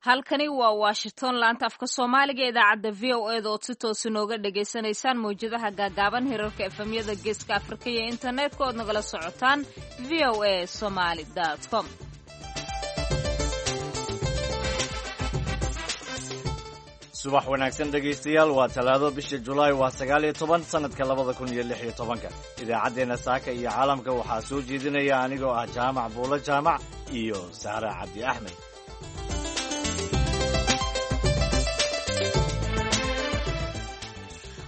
Halkani waa Washington, laanta afka Soomaaliga, idaacadda VOA da ood si toos inooga dhagaysanaysaan mawjadaha gaagaaban, hirarka FM-yada Geeska Afrika iyo internetka ood nagala socotaan voasomali.com. Subax wanaagsan, dhegaystayaal. Waa Talaado, bisha Julaay waa 19, sanadka 2016-ka. Idaacaddeenna saaka iyo caalamka waxaa soo jeedinaya anigoo ah Jaamac Buulo Jaamac iyo Saara Cabdi Axmed.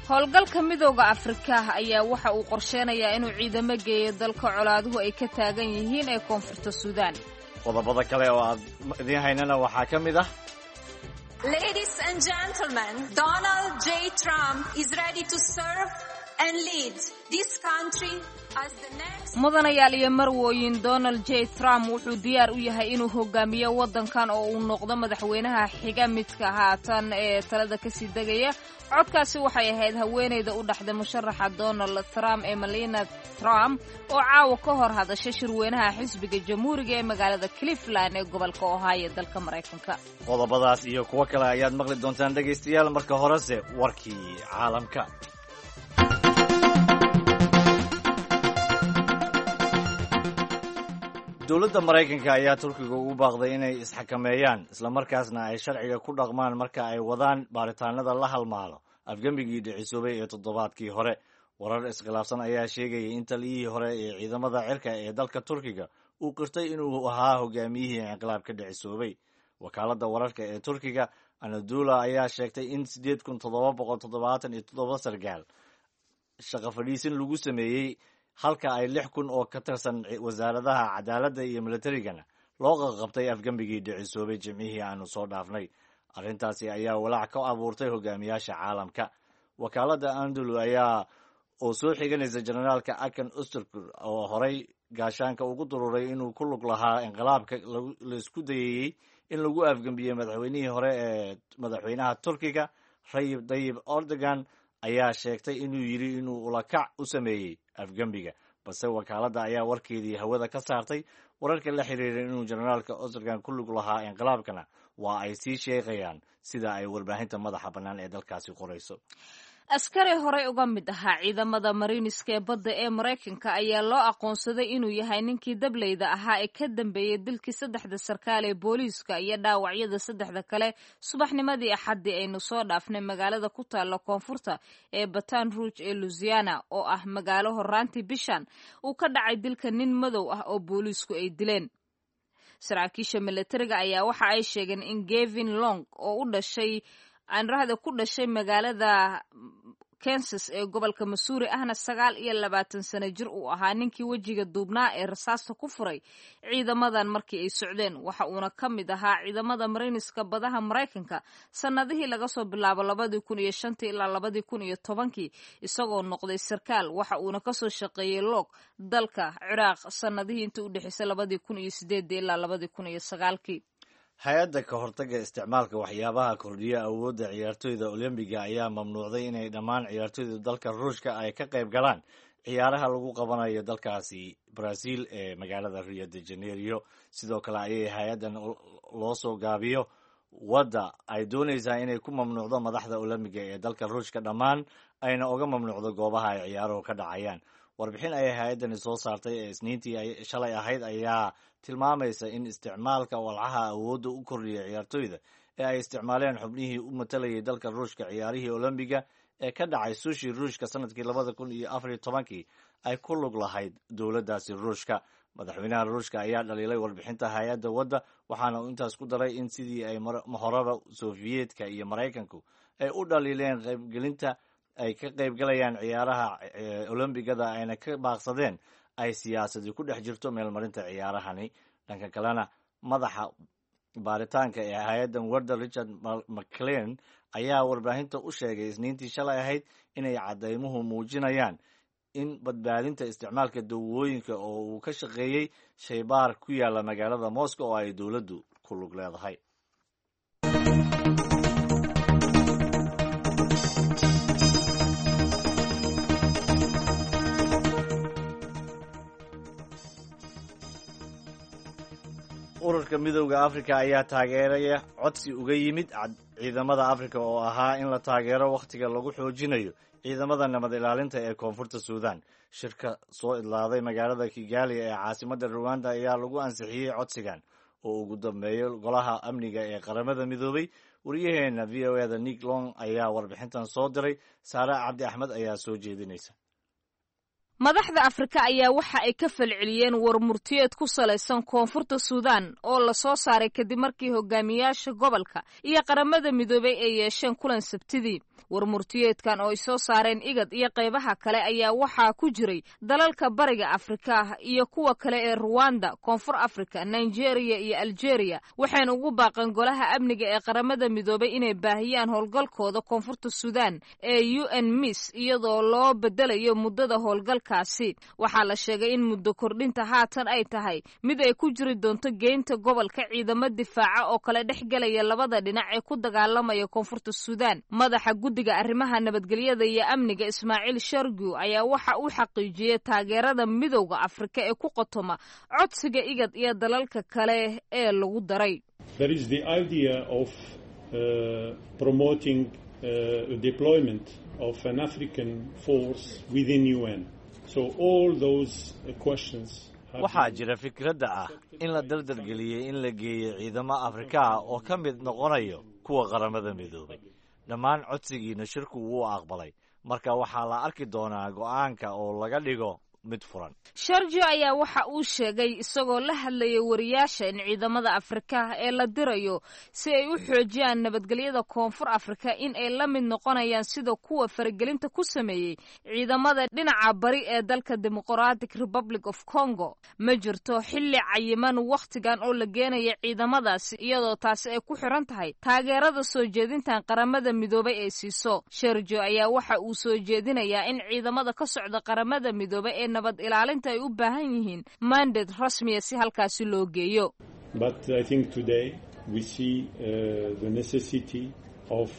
Howlgalka Midooda Afrika ayaa waxa uu qorsheynayaa inuu ciidamo geeyo dalka colaaduhu ay ka taagan yihiin ee Koonfurta Suudaan. Qodobada kale oo aad idiin haynana waxaa ka mid ah: Ladies and gentlemen, Donald J. Trump is ready to serve and lead this country as the next. Mudanayaal iyo marwooyin, Donald J. Trump wuxuu diyaar u yahay inuu hogaamiyo waddankan oo uu noqdo madaxweynaha xiga midka haatan ee talada kasii degaya. Codkaasi waxay ahayd haweenayda u dhaxday musharaxa Donald Trump ee Melania Trump oo caawa ka hor hadashay shirweynaha xisbiga Jamhuuriga ee magaalada Cleveland ee gobolka Ohio, dalka Maraykanka. Qodobadaas iyo kuwo kale ayaad maqli doontaan, dhegaystayaal. Marka horese warkii caalamka. Dowladda Maraykanka ayaa Turkiga ugu baaqday inay isxakameeyaan, islamarkaasna ay sharciga ku dhaqmaan marka ay wadaan baaritaanada la halmaalo afgembigii dhicisoobay ee toddobaadkii hore. Warar iskhilaafsan ayaa sheegayay in taliyihii hore ee ciidamada cirka ee dalka Turkiga uu qirtay inuu ahaa hogaamiyihii inqilaabka dhicisoobay. Wakaaladda wararka ee Turkiga Anadula ayaa sheegtay in 8777 sargaal shaqo fadhiisin lagu sameeyey, halka ay 6000 oo ka tirsan wasaaradaha cadaaladda iyo militarigana loo qaqabtay afgembigii dhicisoobay Jimcihii aanu soo dhaafnay. Arrintaasi ayaa walaac ka abuurtay hogaamiyaasha caalamka. Wakaaladda Andulu ayaa oo soo xiganaysa generaalka Akan Usturkur oo horey gaashaanka ugu dururay inuu ku lug lahaa inqilaabka laisku dayayey in lagu afgembiyey madaxweynihii hore ee madaxweynaha Turkiga Rayib Dayib Erdogan, ayaa sheegtay inuu yidhi inuu ulakac u sameeyey afgembiga. Balse wakaaladda ayaa warkeedii hawada ka saartay. Wararka la xiriiray inuu generaalka Erdogan ku lug lahaa inqilaabkana waa ay sii sheegayaan, sida ay warbaahinta madaxa bannaan ee dalkaasi qorayso. Askari horey uga mid ahaa ciidamada mariiniska ee badda ee Maraykanka ayaa loo aqoonsaday inuu yahay ninkii dableyda ahaa ee ka dambeeyey dilkii saddexda sarkaal ee booliiska iyo dhaawacyada saddexda kale subaxnimadii Axaddii aynu soo dhaafnay magaalada ku taalla koonfurta ee Batan Rouge ee Louisiana, oo ah magaalo horaantii bishan uu ka dhacay dilka nin madow ah oo booliisku ay dileen. Saraakiisha milatariga ayaa waxa ay sheegeen in Gevin Long oo u dhashay aanrahda ku dhashay magaalada Kansas ee gobolka Missouri, ahna 29 sano jir, uu ahaa ninkii wejiga duubnaa ee rasaasta ku furay ciidamadan markii ay socdeen. Waxa uuna ka mid ahaa ciidamada mariniska badaha Maraykanka sannadihii laga soo bilaabo 2005-tii ilaa 2010-kii, isagoo noqday sarkaal. Waxa uuna kasoo shaqeeyey Loog dalka Ciraaq sannadihii intii u dhexeysay 2008-dii ilaa 2009-kii. Hay-adda ka hortagga isticmaalka waxyaabaha kordhiya awoodda ciyaartoyda Olombiga ayaa mamnuucday inay dhammaan ciyaartoyda dalka Ruushka ay ka qayb galaan ciyaaraha lagu qabanayo dalkaasi Brazil ee magaalada Rio de Janeiro. Sidoo kale ayay hay-addan loo soo gaabiyo wadda ay doonaysaa inay ku mamnuucdo madaxda Olombiga ee dalka Ruushka dhammaan, ayna uga mamnuucdo goobaha ay ciyaaruhu ka dhacayaan. Warbixin ay hay-addani soo saartay ee Isniintii shalay ahayd ayaa tilmaamaysa in isticmaalka walcaha awoodda u kordhiya ciyaartoyda ee ay isticmaaleen xubnihii u matalayay dalka Ruushka ciyaarihii Olombiga ee ka dhacay Sushi, Ruushka, sanadkii 2014-kii ay ku lug lahayd dowladdaasi Ruushka. Madaxweynaha Ruushka ayaa dhaliilay warbixinta hay-adda wadda, waxaana uu intaas ku daray in sidii ay horeba Sofiyeetka iyo Maraykanku ay u dhaliileen qaybgelinta ay ka qaybgalayaan ciyaaraha Olombigada ayna ka baaqsadeen, ay siyaasadi ku dhex jirto meelmarinta ciyaarahani. Dhanka kalena, madaxa baaritaanka ee hay-addan warda, Richard McClean, ayaa warbaahinta u sheegay Isniintii shalay ahayd inay caddaymuhu muujinayaan in badbaadinta isticmaalka dawooyinka oo uu ka shaqeeyey shaybaar ku yaalla magaalada Moscow oo ay dowladdu ku lug leedahay. Ururka Midowda Afrika ayaa taageeraya codsi uga yimid ciidamada Afrika oo ahaa in la taageero wakhtiga lagu xoojinayo ciidamada nabad ilaalinta ee Koonfurta Suudan. Shirka soo idlaaday magaalada Kigali ee caasimadda Ruwanda ayaa lagu ansixiyey codsigan oo ugu dambeeyo Golaha Amniga ee Qaramada Midoobay. Wariyaheena VOA-da Nick Long ayaa warbixintan soo diray. Saare Cabdi Axmed ayaa soo jeedinaysa. Madaxda Afrika ayaa waxa ay ka falceliyeen warmurtiyeed ku salaysan Koonfurta Suudaan oo la soo saaray kadib markii hogaamiyaasha gobolka iyo Qaramada Midoobay ay yeesheen kulan Sabtidii. Warmurtiyeedkan oo ay soo saareen IGAD iyo qaybaha kale ayaa waxaa ku jiray dalalka Bariga Afrika iyo kuwa kale ee Ruwanda, Koonfur Afrika, Nigeria iyo Algeria, waxayna ugu baaqeen Golaha Amniga ee Qaramada Midoobay inay baahiyaan howlgalkooda Koonfurta Suudaan ee UNMISS, iyadoo loo bedelayo muddada howlgalka. Waxaa la sheegay in muddo kordhinta haatan ay tahay mid ay ku jiri doonto geynta gobolka ciidamo difaaca oo kala dhex gelaya labada dhinac ee ku dagaalamaya Koonfurta Suudaan. Madaxa guddiga arrimaha nabadgelyada iyo amniga, Ismaaciil Shargu, ayaa waxa uu xaqiijiyey taageerada Midowda Afrika ee ku qotoma codsiga IGAD iyo dalalka kale ee lagu daray. There is the idea of promoting deployment of an African force within UN. So all those questions have Waxaa been jira fikradda ah in la dardargeliyey in la geeyo ciidamo Afrika ah oo ka mid noqonayo kuwa Qaramada Midoobay. Dhammaan codsigiina shirku wuu aqbalay. Marka waxaa la arki doonaa go'aanka oo laga dhigo mid furan. Sharjo ayaa waxa uu sheegay isagoo la hadlayay wariyaasha in ciidamada Afrika ee la dirayo si ay u xoojiyaan nabadgelyada Koonfur Afrika in ay la mid noqonayaan sida kuwa faragelinta ku sameeyey ciidamada dhinaca bari ee dalka Democratic Republic of Congo. Ma jirto xilli cayiman wakhtigan oo la geenaya ciidamadaasi, iyadoo taasi ay ku xiran tahay taageerada soo jeedintan Qaramada Midoobay ay siiso. Sharjo ayaa waxa uu soo jeedinayaa in ciidamada ka socda Qaramada Midoobay ee nabad ilaalinta ay u baahan yihiin mandate rasmiya si halkaasi loo geeyo. But I think today we see the necessity of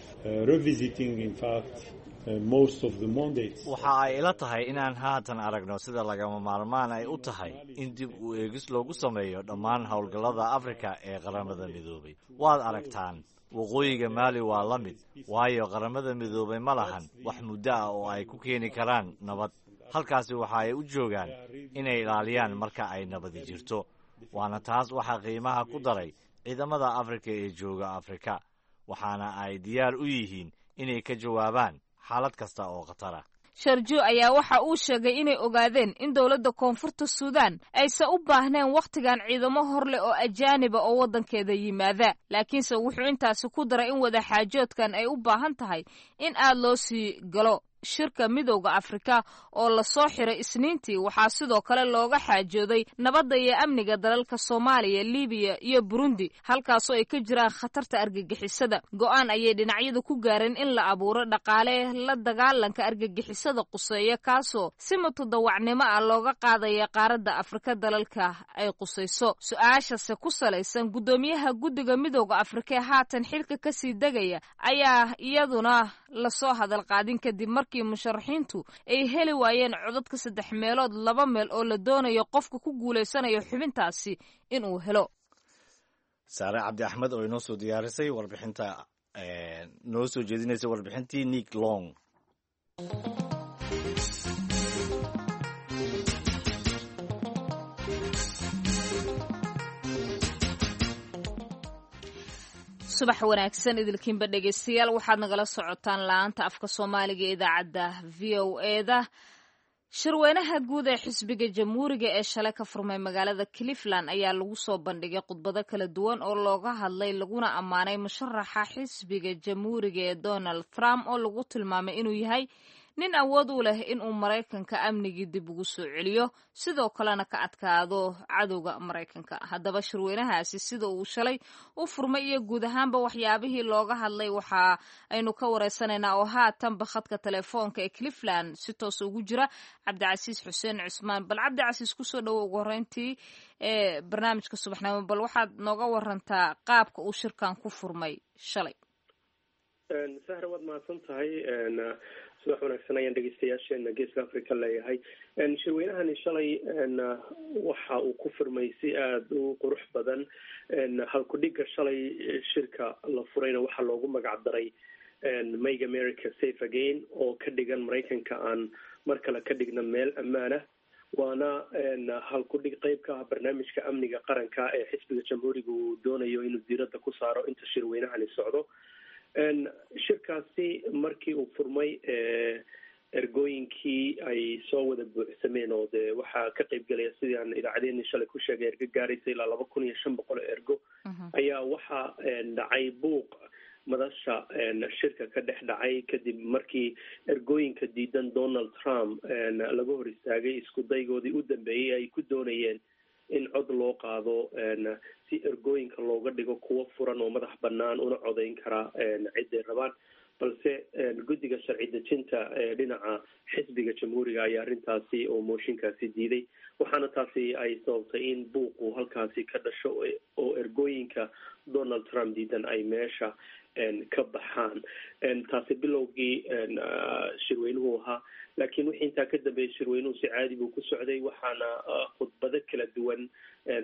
revisiting, in fact, most of the mandates. Waxa ay ila tahay inaan haatan aragno sida lagama maarmaan ay u tahay in dib u eegis loogu sameeyo dhammaan howlgallada Afrika ee Qaramada Midoobay. Waad aragtaan, waqooyiga Maali waa la mid, waayo Qaramada Midoobay ma lahan wax muddo ah oo ay ku keeni karaan nabad halkaasi. Waxa ay u joogaan inay ilaaliyaan marka ay nabadi jirto, waana taas waxaa qiimaha ku daray ciidamada Afrika ee jooga Afrika, waxaana ay diyaar u yihiin inay ka jawaabaan xaalad kasta oo khatara. Sharjo ayaa waxa uu sheegay inay ogaadeen in dowladda Koonfurta Suudaan aysan u baahneen wakhtigan ciidamo hor leh oo ajaaniba oo waddankeeda yimaada, laakiinse wuxuu intaasi ku daray in wadaxaajoodkan ay u baahan tahay in aad loo sii galo. Shirka Midowda Afrika oo lasoo xiray Isniintii waxaa sidoo kale looga xaajooday nabadda iyo amniga dalalka Soomaaliya, Libiya iyo Burundi, halkaasoo ay ka jiraan khatarta argagixisada. Go'aan ayay dhinacyadu ku gaareen in la abuuro dhaqaale la dagaalanka argagixisada quseeya, kaasoo si mutadawacnimo ah looga qaadaya qaaradda Afrika dalalka ay qusayso. Su-aashase ku salaysan guddoomiyaha guddiga Midowda Afrika ee haatan xilka kasii degaya ayaa iyaduna lasoo hadal qaadin kadib markii musharaxiintu ay heli waayeen codadka saddex meelood laba meel oo la doonayo qofka ku guulaysanayo xubintaasi inuu helo. Saare Cabdi Axmed oo inoo soo diyaarisay warbixinta, noo soo jeedinaysa warbixintii Nick Long. Subax wanaagsan idilkiinba dhegeystayaal. Waxaad nagala socotaan la-aanta afka Soomaaliga ee idaacadda VOA-da. Shirweynaha guud ee xisbiga Jamhuuriga ee shalay ka furmay magaalada Cleveland ayaa lagu soo bandhigay khudbado kala duwan oo looga hadlay laguna ammaanay musharaxa xisbiga Jamhuuriga ee Donald Trump, oo lagu tilmaamay inuu yahay nin awood u leh inuu Maraykanka amnigii dib ugu soo celiyo, sidoo kalena ka adkaado cadowga Maraykanka. Haddaba shirweynahaasi sida uu shalay u furmay iyo guud ahaanba waxyaabihii looga hadlay waxa aynu ka wareysanaynaa oo haatanba khadka telefoonka ee Cleveland si toos ugu jira Cabdicasiis Xuseen Cusmaan. Bal Cabdicasiis, kusoo dhowo ugu horreyntii ee barnaamijka subaxnimo. Bal waxaad nooga warantaa qaabka uu shirkan ku furmay shalay. Sahra, waad mahadsan tahay. Subax wanaagsan ayaan dhegeystayaasheena Geeska Africa leeyahay. Shirweynahani shalay waxa uu ku furmay si aada u qurux badan. Halkudhigga shalay shirka la furayna waxaa loogu magac daray "Make America Safe Again", oo ka dhigan Maraykanka aan mar kale ka dhigna meel ammaanah. Waana halkudhig qeyb ka ah barnaamijka amniga qaranka ee xisbiga Jamhuuriga uu doonayo inuu diiradda ku saaro inta shirweynahani socdo. Shirkaasi markii uu furmay, ergooyinkii ay soo wada buuxsameen, oo dee waxaa ka qeyb gelaya, sidii aan idaacadeeni shalay ku sheegay, ergo gaaraysa ilaa 2500 oo ergo, ayaa waxaa dhacay buuq madasha shirka ka dhex dhacay, kadib markii ergooyinka diidan Donald Trump laga hor istaagay isku daygoodii u dambeeyey ay ku doonayeen in cod loo qaado, si ergooyinka looga dhigo kuwo furan oo madax bannaan una codayn kara ciday rabaan. Balse guddiga sharci dejinta ee dhinaca xisbiga Jamhuuriga ayaa arrintaasi oo mooshinkaasi diiday, waxaana taasi ay sababtay in buuqu halkaasi ka dhasho oo ergooyinka Donald Trump diidan ay meesha ka baxaan. Taasi bilowgii shirweynuhu ahaa, laakiin wixii intaa ka dambeeyay shirweynuhu si caadi buu ku socday, waxaana khudbado kala duwan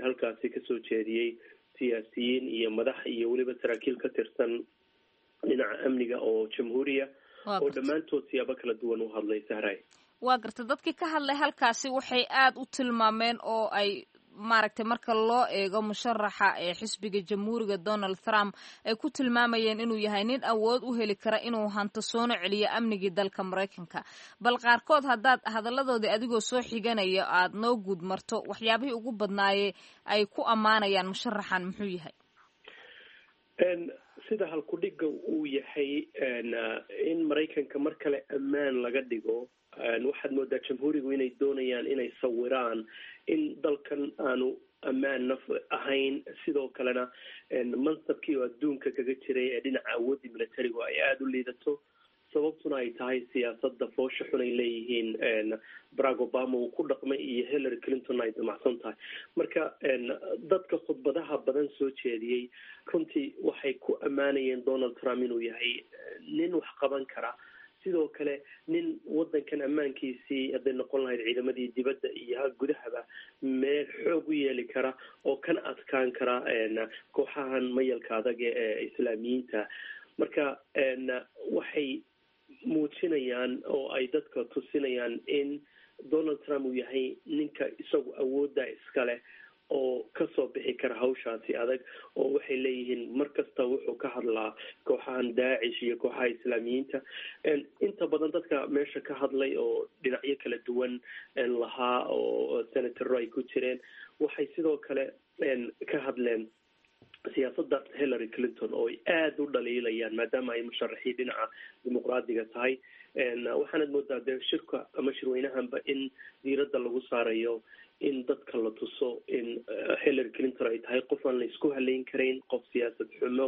halkaasi kasoo jeediyey siyaasiyiin iyo madax iyo weliba saraakiil ka tirsan dhinaca amniga oo Jamhuuriya, oo dhammaantood siyaabo kala duwan u hadlay, Sahray. Waa garta. Dadkii ka hadlay halkaasi waxay aada u tilmaameen oo ay maaragtay, marka loo eego musharaxa ee xisbiga Jamhuuriga Donald Trump, ay ku tilmaamayeen inuu yahay nin awood u heli kara inuu hanto soona celiyo amnigii dalka Maraykanka. Bal qaarkood haddaad hadalladoodii adigoo soo xiganaya aada noo guud marto, waxyaabihii ugu badnaaye ay ku ammaanayaan musharaxan muxuu yahay? Sida halkudhigga uu yahay in Maraykanka mar kale ammaan laga dhigo, waxaad moodaa Jamhuurigu inay doonayaan inay sawiraan in dalkan aanu ammaan naf ahayn, sidoo kalena mansabkii oo adduunka kaga jiray ee dhinaca awooddii militarigu ay aada u liidato, sababtuna ay tahay siyaasadda foosha xun ay leeyihiin Barack Obama uu ku dhaqmay iyo Hillary Clinton ay damacsan tahay. Marka dadka khudbadaha badan soo jeediyey runtii waxay ku ammaanayeen Donald Trump inuu yahay nin wax qaban kara, sidoo kale nin waddankan ammaankiisii, hadday noqon lahayd ciidamadii dibadda iyo gudahaba, meel xoog u yeeli kara oo kana adkaan kara kooxahan mayalka adag ee Islaamiyiinta. Marka waxay muujinayaan oo ay dadka tusinayaan in Donald Trump uu yahay ninka isagu awoodda iskale oo kasoo bixi kara hawshaasi adag, oo waxay leeyihiin mar kasta wuxuu ka hadlaa kooxahan Daacish iyo kooxaha Islaamiyiinta. Inta badan dadka meesha ka hadlay oo dhinacyo kala duwan lahaa oo senataro ay ku jireen, waxay sidoo kale ka hadleen siyaasadda Hillary Clinton oo ay aada u dhaliilayaan, maadaama ay musharaxiin dhinaca Dimuqraadiga tahay. Waxaanad moodaa dee shirka ama shirweynahanba in diiradda lagu saarayo in dadka la tuso in Hillary Clinton ay tahay qof aan la isku haleyn karayn, qof siyaasad xumo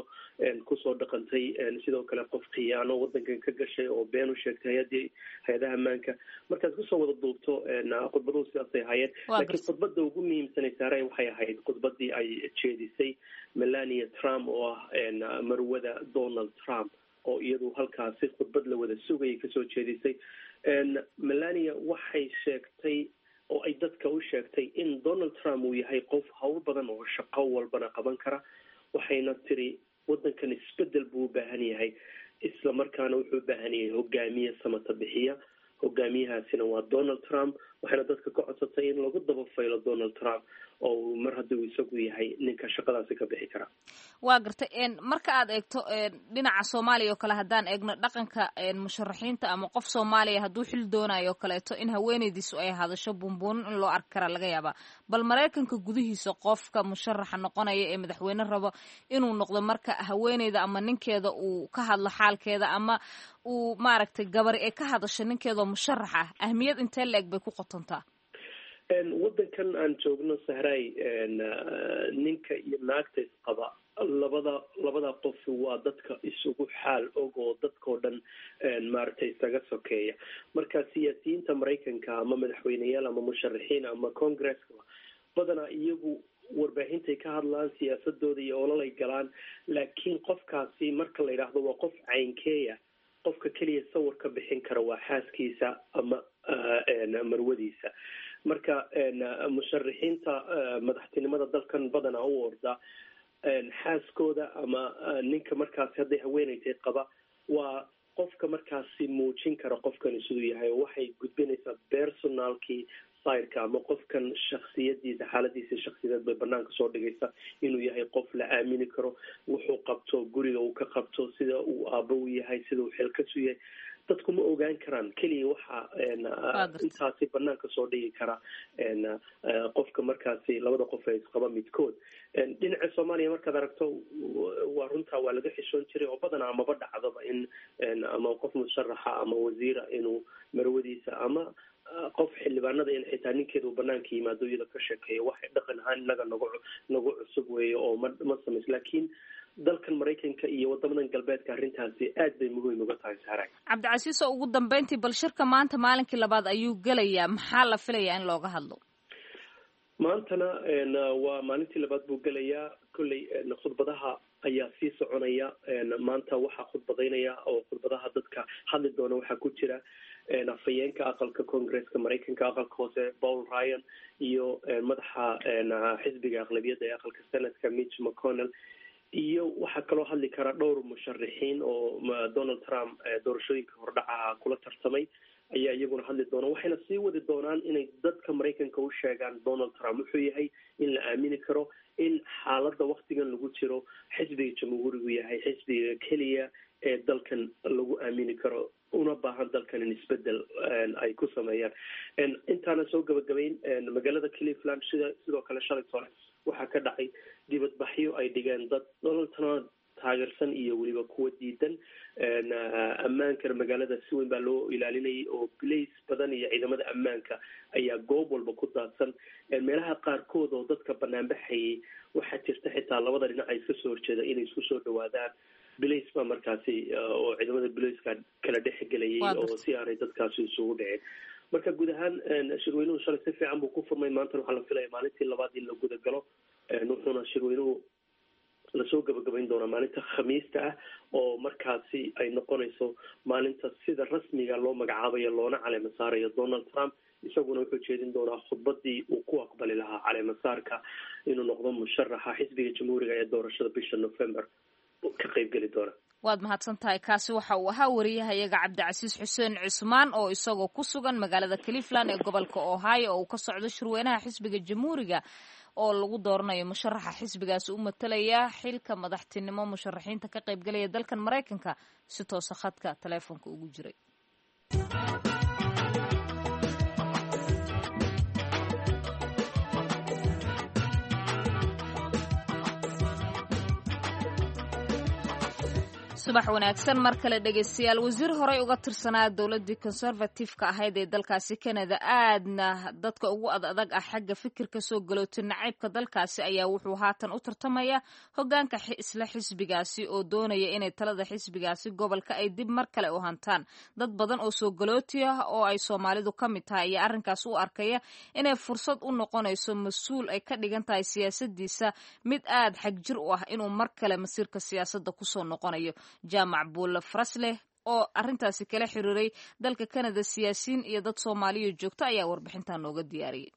kusoo dhaqantay, sidoo kale qof khiyaano wadankan ka gashay oo been u sheegtay hay-adii hay-adaha ammaanka. Markaad kusoo wada duubto, khudbaduhu sidaasay ahaayeen, laakiin khudbadda ugu muhiimsanay, Saaray, waxay ahayd khudbadii ay jeedisay Melania Trump, oo ah marwada Donald Trump, oo iyadu halkaasi khudbad la wada sugayay kasoo jeedisay. Melania waxay sheegtay oo ay dadka u sheegtay in Donald Trump uu yahay qof hawl badan oo shaqo walbana qaban kara, waxayna tiri waddankan isbedel buu u baahan yahay, isla markaana wuxuu u baahan yahay hogaamiye samata bixiya, hogaamiyahaasina waa Donald Trump. Waxayna dadka ka codsatay in lagu daba faylo Donald Trump oo mar haddii uu isagu yahay ninka shaqadaasi ka bixi kara. Waa gartay. Marka aad eegto dhinaca Soomaaliya oo kale, haddaan eegno dhaqanka musharaxiinta ama qof Soomaaliya hadduu xil doonayo o kaleeto, in haweeneydiisu ay hadasho buunbuunin in loo arki karaa laga yaabaa. Bal Maraykanka gudihiisa qofka musharaxa noqonaya ee madaxweyne rabo inuu noqdo, marka haweeneyda ama ninkeeda uu ka hadlo xaalkeeda ama uu maaragtay gabar ee ka hadasho ninkeedoo musharax ah, ahmiyad intee la eg bay ku qotontaa? Waddankan aan joogno, Sahray, ninka iyo naagta isqaba, labada qof waa dadka isugu xaal og oo dadkao dhan maaragtay isaga sokeeya. Marka siyaasiyiinta Maraykanka, ama madaxweyneyaal ama musharaxiin ama congresska, badanaa iyagu warbaahintay ka hadlaan siyaasadooda iyo ololay galaan, laakiin qofkaasi marka la yidhaahdo waa qof caynkeeya. Qofka keliya sawir ka bixin kara waa xaaskiisa ama marwadiisa. Marka musharaxiinta madaxtinimada dalkan badanaa u orda, xaaskooda ama ninka markaasi hadday haweeneytay qaba waa qofka markaasi muujin kara qofkani siduu yahay, oo waxay gudbinaysaa personalkii sirka ama qofkan shaksiyadiisa, xaaladiisa shaksiyadeed bay banaanka soo dhigaysa, inuu yahay qof la aamini karo, wuxuu qabto, guriga uu ka qabto, sida uu aabo u yahay, sida uu xilkasu yahay. Dadku ma ogaan karaan. Keliya waxaa intaasi banaanka soo dhigi kara qofka markaasi labada qof ee isqaba midkood. Dhinaca Soomaaliya markaad aragto, waa runtaa, waa laga xishoon jiray oo badanaa maba dhacdaba in ama qof musharaxa ama wasiira inuu marwadiisa ama qof xildhibaanada in xitaa ninkeeda uu banaanka yimaado iyada ka sheekeeyo. Waxay dhaqan ahaan innaga nagu cusub weeye oo ma samays, laakiin dalkan Maraykanka iyo wadamadan galbeedka arrintaasi aad bay muhiim uga tahay, Saaray. Cabdicasiis, oo ugu dambeyntii, bal shirka maanta maalinkii labaad ayuu gelayaa. Maxaa la filayaa in looga hadlo? Maantana waa maalintii labaad buu gelayaa. Kolley khudbadaha ayaa sii soconaya. Maanta waxaa khudbadaynaya oo khudbadaha dadka hadli doona waxaa ku jira afhayeenka aqalka Congresska Maraykanka, aqalka hoose, Paul Ryan, iyo madaxa xisbiga aqlabiyadda ee aqalka Senatka, Mitch McConnell, iyo waxaa kaloo hadli kara dhowr musharaxiin oo Donald Trump doorashooyinka hordhacaha kula tartamay ayaa iyaguna hadli doona. Waxayna sii wadi doonaan inay dadka Maraykanka u sheegaan Donald Trump wuxuu yahay, in la aamini karo, in xaaladda waktigan lagu jiro xisbiga Jamhuurigu yahay xisbiga keliya ee dalkan lagu aamini karo, una baahan dalkan in isbedel ay ku sameeyaan. Intaana soo gabagabayn, magaalada Cleveland sidoo kale shalay tole waxaa ka dhacay dibadbaxyo ay dhigeen dad Donald Trump taageersan iyo weliba kuwa diidan. Ammaankana magaalada si weyn baa loo ilaalinayay oo blace badan iyo ciidamada ammaanka ayaa goob walba ku daadsan. Meelaha qaarkood oo dadka banaanbaxayay waxaa jirta xitaa labada dhinac ay iska soo horjeeda inay isku soo dhawaadaan. Blace baa markaasi oo ciidamada blaceka kala dhex gelayay oo si aanay dadkaasi isugu dhicin. Marka guud ahaan shirweynuhu shalay si fiican buu ku furmay. Maantana waxaa la filaya maalintii labaad in la guda galo, wuxuuna shirweynuhu lasoo gabagabayn doonaa maalinta Khamiista ah, oo markaasi ay noqonayso maalinta sida rasmiga loo magacaabayo loona caleema saarayo Donald Trump. Isaguna wuxuu jeedin doonaa khudbadii uu ku aqbali lahaa caleemasaarka inuu noqdo musharaxa xisbiga Jamhuuriga ee doorashada bisha November ka qaybgeli doona. Waad mahadsan tahay. Kaasi waxa uu ahaa wariyahayaga Cabdicasiis Xuseen Cusmaan oo isagoo ku sugan magaalada Cleveland ee gobolka Ohio oo uu ka socdo shirweynaha xisbiga Jamhuuriga oo lagu dooranayo musharaxa xisbigaasi u matalaya xilka madaxtinimo musharaxiinta ka qaybgalaya dalkan Maraykanka, si toosa khadka taleefonka ugu jiray. Subax wanaagsan mar kale, dhegeystayaal. Wasiir horey uga tirsanaa dowladdii Conservative-ka ahayd ee dalkaasi Canada, aadna dadka ugu ad adag ah xagga fikirka soo galootay nacaybka dalkaasi, ayaa wuxuu haatan u tartamaya hogaanka isla xisbigaasi oo doonaya inay talada xisbigaasi gobolka ay dib mar kale u hantaan. Dad badan oo soo galooti ah oo ay Soomaalidu ka mid tahay ayaa arrinkaas u arkaya inay fursad u noqonayso mas-uul ay ka dhigan tahay siyaasadiisa mid aad xagjir u ah inuu mar kale masiirka siyaasadda kusoo noqonayo. Jaamac Buulle Farasleh oo arrintaasi kala xiriiray dalka Canada siyaasiyiin iyo dad Soomaaliya joogta ayaa warbixintan nooga diyaariyey.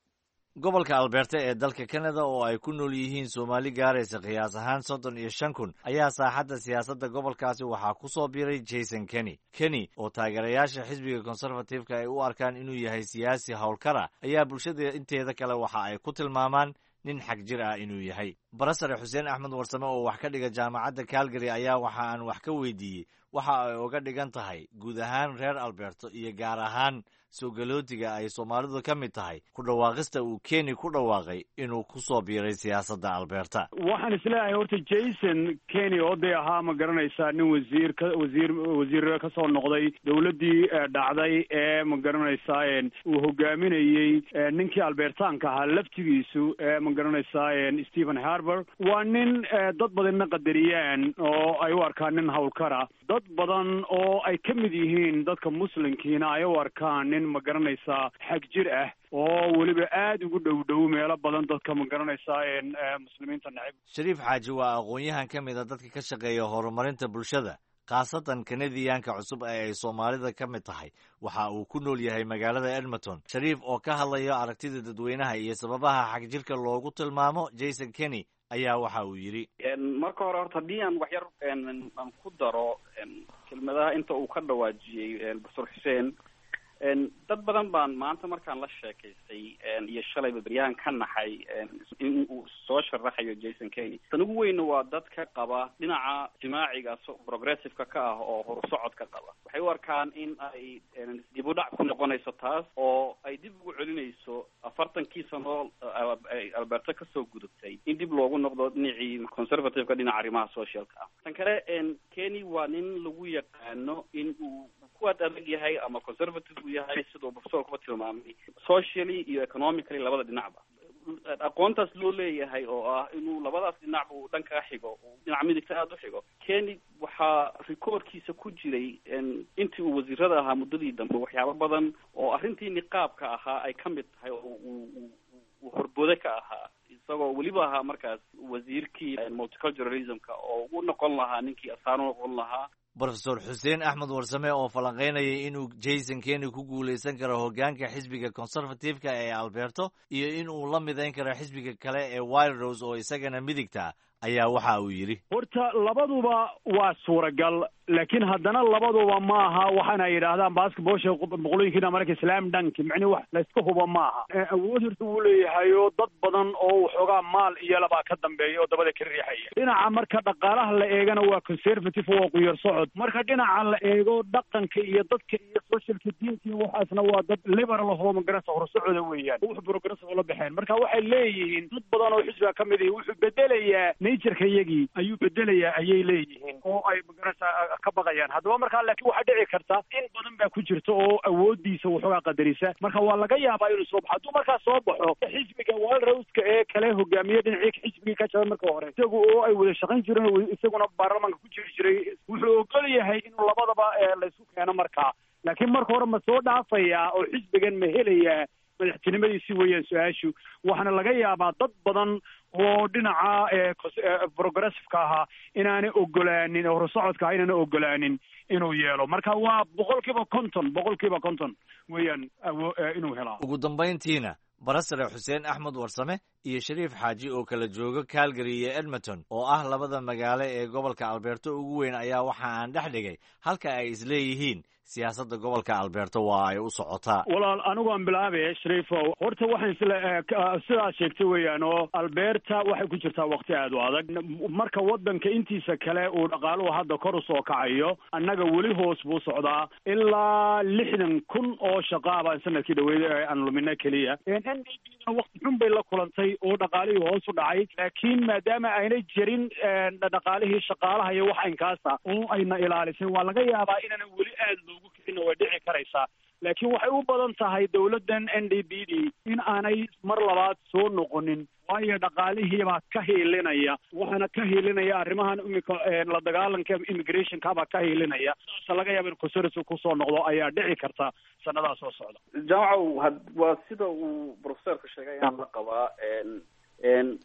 Gobolka Alberta ee dalka Canada oo ay ku nool yihiin Soomaali gaaraysa qiyaas ahaan 35,000 ayaa saaxadda siyaasadda gobolkaasi waxaa ku soo biiray Jason Kenney. Kenney oo taageerayaasha xisbiga Conservative-ka ay u arkaan inuu yahay siyaasi howlkar ah ayaa bulshada inteeda kale waxa ay ku tilmaamaan nin xag jir ah inuu yahay. Barasare Xuseen Axmed Warsame oo wax ka dhiga jaamacadda Calgary ayaa waxa aan wax ka weydiiyey waxa ay uga dhigan tahay guud ahaan reer Alberto iyo gaar ahaan soo galootiga ay Soomaalidu ka mid tahay ku dhawaaqista uu Kenney ku dhawaaqay inuu ku soo biiray siyaasadda Alberta. Waxaan isleeyahay horta Jason Kenney oo dee ahaa, ma garanaysaa, nin wasiir ka wasiir wasiir kasoo noqday dowladdii dhacday ee, ma garanaysaa, uu hogaaminayey ninkii Albertaanka ahaa laftigiisu ee, ma garanaysaa, Stephen Harper, waa nin dad badanna qadariyaan oo ay u arkaan nin howlkara, dad badan oo ay ka mid yihiin dadka Muslimkiina ay u arkaan nin, ma garanaysaa, xag jir ah oo weliba aada ugu dhow dhow meelo badan dadka, ma garanaysaa, Muslimiinta necib. Shariif Xaaji waa aqoon-yahan ka mid a dadka ka shaqeeya horumarinta bulshada. khaasatan Kanadiyaanka cusub ee ay Soomaalida ka mid tahay. Waxa uu ku nool yahay magaalada Edmonton. Shariif oo ka hadlayo aragtida dadweynaha iyo sababaha xagjirka loogu tilmaamo Jason Kenney ayaa waxa uu yidhi: Marka hore horta haddii aan waxyar aan ku daro kelmadaha inta uu ka dhawaajiyey Professor Xuseen, dad badan baan maanta markaan la sheekaystay iyo shalayba beryahan ka naxay in uu soo sharaxayo Jason Kenney. Tan ugu weyna waa dadka qaba dhinaca ijtimaaciga progressiveka ka ah oo horusocodka qaba. Waxay u arkaan in ay dib u dhac ku noqonayso taas oo ay dib ugu celinayso 40kii sano Alberta kasoo gudubtay in dib loogu noqdo dhinacii conservative-ka, dhinaca arrimaha socialka ah. Tan kale, Kenney waa nin lagu yaqaano in uu ku ad adag yahay ama conservative uu yahay, siduu professorkuba tilmaamay, socially iyo economically labada dhinacba aqoontaas loo leeyahay oo ah inuu labadaas dhinacba uu dhankaa xigo, dhinaca midigta aada u xigo. Kenney waxaa rikoorkiisa ku jiray intii uu wasiirada ahaa muddadii dambe waxyaabo badan oo arrintii niqaabka ahaa ay ka mid tahay oo uu horboode ka ahaa, isagoo weliba ahaa markaas wasiirkii multiculturalismka oo u noqon lahaa ninkii asaan u noqon lahaa. Profesor Xuseen Axmed Warsame oo falanqaynayay inuu Jason Kenney ku guulaysan karo hoggaanka xisbiga Conservative-ka ee Alberto iyo in uu la midayn karo xisbiga kale ee Wildrose oo isagana midigta ayaa waxa uu yidhi: Horta labaduba waa suuragal, laakiin haddana labaduba maaha waxaana yidhaahdaan basketballsha boqolooyinkiina marka slam dunk, micni wax layska hubo maaha. Awood horta wuu leeyahay oo dad badan oo waxoogaa maal iyo labaa ka dambeeya oo dabada ka riixaya. Dhinaca marka dhaqaalaha la eegana waa conservative, waa quyar socod. Marka dhinaca la eego dhaqanka iyo dadka iyo socialka, diinta iyo waxaasna waa dad liberal ahoo magarasa horsocoda weeyaan, wuxuu progressive la baxeen. Marka waxay leeyihiin dad badan oo xisbiga ka mid ihi wuxuu bedelayaa natureka iyagii ayuu bedelayaa ayay leeyihiin oo ay magarasa ka baqayaan. Haddaba markaa laakiin waxaa dhici karta in badan baa ku jirta oo awoodiisa waxoogaa qadarisa. Marka waa laga yaabaa inuu soo baxo. Hadduu markaa soo baxo, xisbiga Wildroseka ee kale hogaamiye dhinacii xisbigii ka jabay marka hore isagu oo ay wada shaqayn jireen, isaguna baarlamaanka ku jiri jiray, wuxuu ogol yahay inuu labadaba laysku keeno markaa. Laakiin marka hore ma soo dhaafayaa oo xisbigan ma helayaa madaxtinimadiisi weeyaan su-aashu. Waxaana laga yaabaa dad badan oo dhinaca progressiveka ahaa inaanay ogolaanin, horusocodka ahaa inaanay ogolaanin inuu yeelo. Marka waa 50%, 50% weeyaan inuu helaa. Ugu dambayntiina, Barasare Xuseen Axmed Warsame iyo Shariif Xaaji oo kala jooga Calgary iyo Edmonton oo ah labada magaalo ee gobolka Alberto ugu weyn ayaa waxa aan dhex dhigay halka ay isleeyihiin siyaasadda gobolka Alberto waa ay u socotaa. Walaal, anigu aan bilaabe, Shariifow. Horta waxaan sidaad sheegtay weeyaan oo Alberta waxay ku jirtaa waqti aad u adag. Marka waddanka intiisa kale uu dhaqaaluhu hadda kor usoo kacayo, annaga weli hoos buu socdaa. Ilaa 60,000 oo shaqaa baan sanadkii dhaweyd aan lumina keliya. NDP na waqti xun bay la kulantay oo dhaqaalihii hoos u dhacay, laakiin maadaama aynay jirin dhaqaalihii shaqaalaha iyo wax aynkaasa oo ayna ilaalisay, waa laga yaabaa inaanan weli aad loogu kicin, way dhici karaysaa. Laakiin waxay u badan tahay dowladdan NDP d in aanay mar labaad soo noqonin, waayo dhaqaalihiibaa ka hiilinaya, waxaana ka hiilinaya arrimahan imika la dagaalanka immigrationkabaa ka hiilinaya. Saasa laga yaaba in conservative kusoo noqdo ayaa dhici karta sanadaha soo socda. Jaamacow, had waa sida uu professorku sheegay ayaan la qabaa.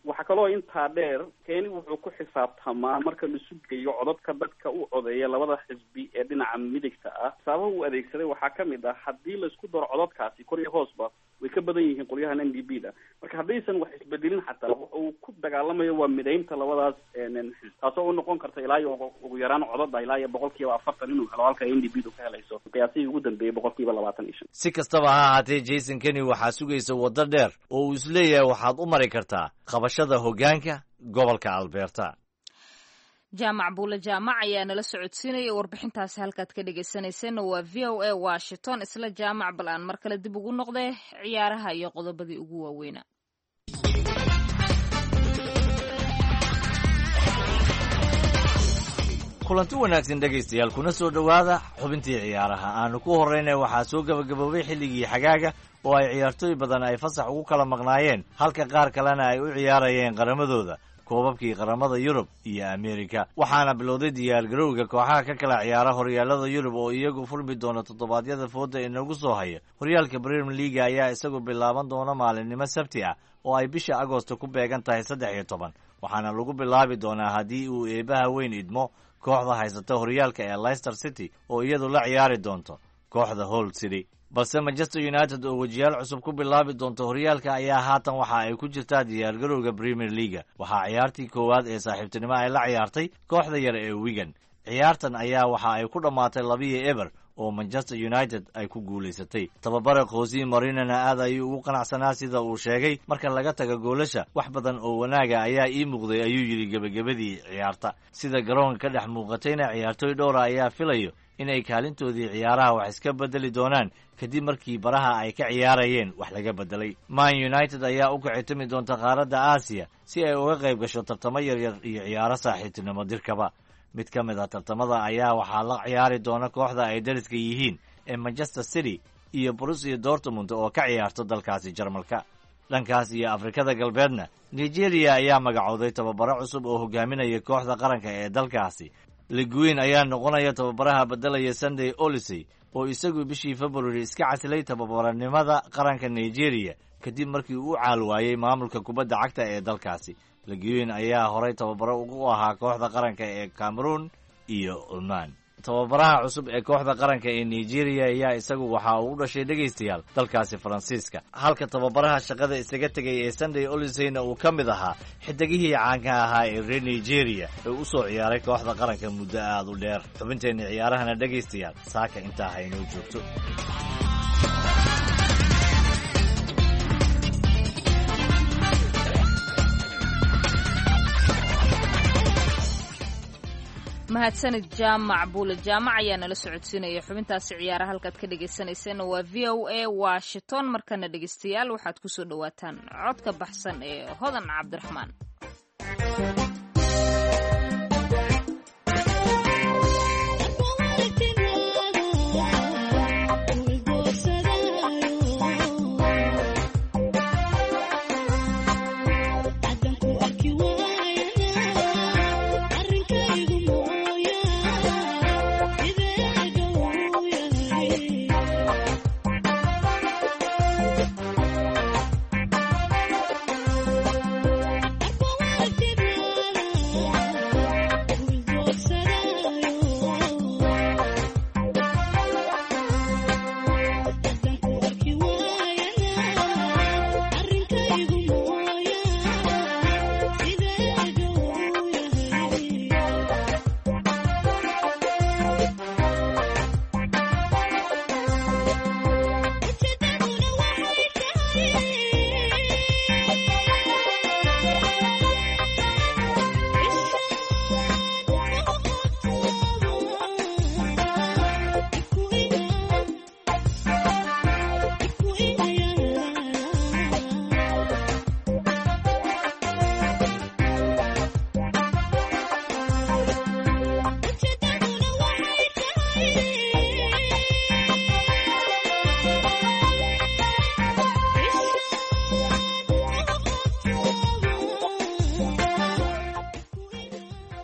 Waxaa kaloo intaa dheer, Keni wuxuu ku xisaabtamaa marka laisu geeyo codadka dadka u codeeya labada xisbi ee dhinaca midigta ah. Xisaabaha uu adeegsaday waxaa ka mid ah haddii laisku daro codadkaasi kor iyo hoosba way ka badan yihiin qolyahan NDP da. Marka haddaysan wax isbedelin xataa, waxa uu ku dagaalamayo waa midaynta labadaas xisbi, taasoo u noqon karta ilaa iyo ugu yaraan codada ilaa iyo 40% inuu helo, halka NDP du ka helayso qiyaasihii ugu dambeeyey 25%. Si kastaba ha ahaatee, Jason Kenney waxaa sugaysa waddo dheer oo uu isleeyahay waxaad u mari kartaa qabashada hoggaanka gobolka Alberta. Jaamac Buule Jaamac ayaa nala socodsiinaya warbixintaasi. Halkaad ka dhegaysanayseena waa VOA Washington. Isla Jaamac bal aan mar kale dib ugu noqdee ciyaaraha iyo qodobadii ugu waaweynaa. Kulanti wanaagsan dhegaystayaal, kuna soo dhowaada xubintii ciyaaraha. Aanu ku horreynay, waxaa soo gabagaboobay xilligii xagaaga oo ay ciyaartooy badan ay fasax ugu kala maqnaayeen, halka qaar kalena ay u ciyaarayeen qaramadooda koobabkii qaramada Yurub iyo Ameerika. Waxaana bilowday diyaargarowga kooxaha ka kala ciyaara horyaalada Yurub oo iyagu furmi doona toddobaadyada fooda inagu soo haya. Horyaalka Premier Leaga ayaa isagu bilaaban doona maalinimo Sabti ah oo ay bisha Agoosto ku beegan tahay 13, waxaana lagu bilaabi doonaa haddii uu eebaha weyn idmo Kooxda haysata horyaalka ee Leicester City oo iyadu la ciyaari doonto kooxda Hull City. Balse Manchester United oo wejiyaal cusub ku bilaabi doonto horyaalka ayaa haatan waxa ay ku jirtaa diyaargarowga Premier Leaga. Waxaa ciyaartii koowaad ee saaxiibtinimo ay la ciyaartay kooxda yar ee Wigan. Ciyaartan ayaa waxa ay ku dhammaatay 2-0 oo Manchester United ay ku guulaysatay. Tababare Jose Mourinhona aad ayuu ugu qanacsanaa sida uu sheegay. Marka laga tago goolasha, wax badan oo wanaaga ayaa ii muuqday, ayuu yidhi gebagabadii ciyaarta. Sida garoonka ka dhex muuqatayna, ciyaartooy dhowra ayaa filayo inay kaalintoodii ciyaaraha wax iska bedeli doonaan kadib markii baraha ay ka ciyaarayeen wax laga bedelay. Man United ayaa u kicitimi doonta qaaradda Aasiya si ay uga qayb gasho tartamo yaryar iyo ciyaaro saaxiibtinimo dirkaba. Mid ka mid ah tartamada ayaa waxaa la ciyaari doona kooxda ay dariska yihiin ee Manchester City iyo Borussia Dortmund oo ka ciyaarto dalkaasi Jarmalka. Dhankaas iyo Afrikada Galbeedna, Nigeria ayaa magacooday tababaro cusub oo hogaaminaya kooxda qaranka ee dalkaasi. Leguin ayaa noqonaya tababaraha bedelaya Sunday Olisey oo isagu bishii February iska casilay tababaranimada qaranka Nigeria kadib markii uu caal waayey maamulka kubadda cagta ee dalkaasi. Leguin ayaa horay tababaro ugu ahaa kooxda qaranka ee Cameroon iyo Oman. Tababaraha cusub ee kooxda qaranka ee Nigeria ayaa isagu waxa uu u dhashay, dhegaystayaal, dalkaasi Faransiiska, halka tababaraha shaqada isaga tegay ee Sunday Oliseyna uu ka mid ahaa xidigihii caanka ahaa ee reer Nigeria ee u soo ciyaaray kooxda qaranka muddo aad u dheer. Xubinteenna ciyaarahana, dhegaystayaal, saaka intaa haynoo joogto. Mahadsanid Jaamac Buule Jaamac ayaa nala socodsiinaya xubintaasi ciyaara. Halkaad ka dhegaysanayseena waa VOA Washington. Markana, dhegaystayaal, waxaad kusoo dhawaataan codka baxsan ee Hodan Cabdiraxmaan.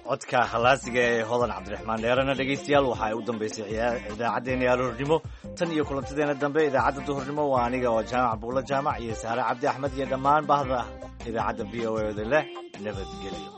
Codka khalaasiga ee Hodan Cabdiraxmaan Dheerana, dhegaystayaal, waxa ay u dambaysay idaacaddeenii aroornimo. Tan iyo kulantadeena dambe idaacadda duhurnimo, waa aniga oo Jaamac Buulo Jaamac iyo Saare Cabdi Axmed iyo dhammaan bahda idaacadda VOA da leh nabadgelyo.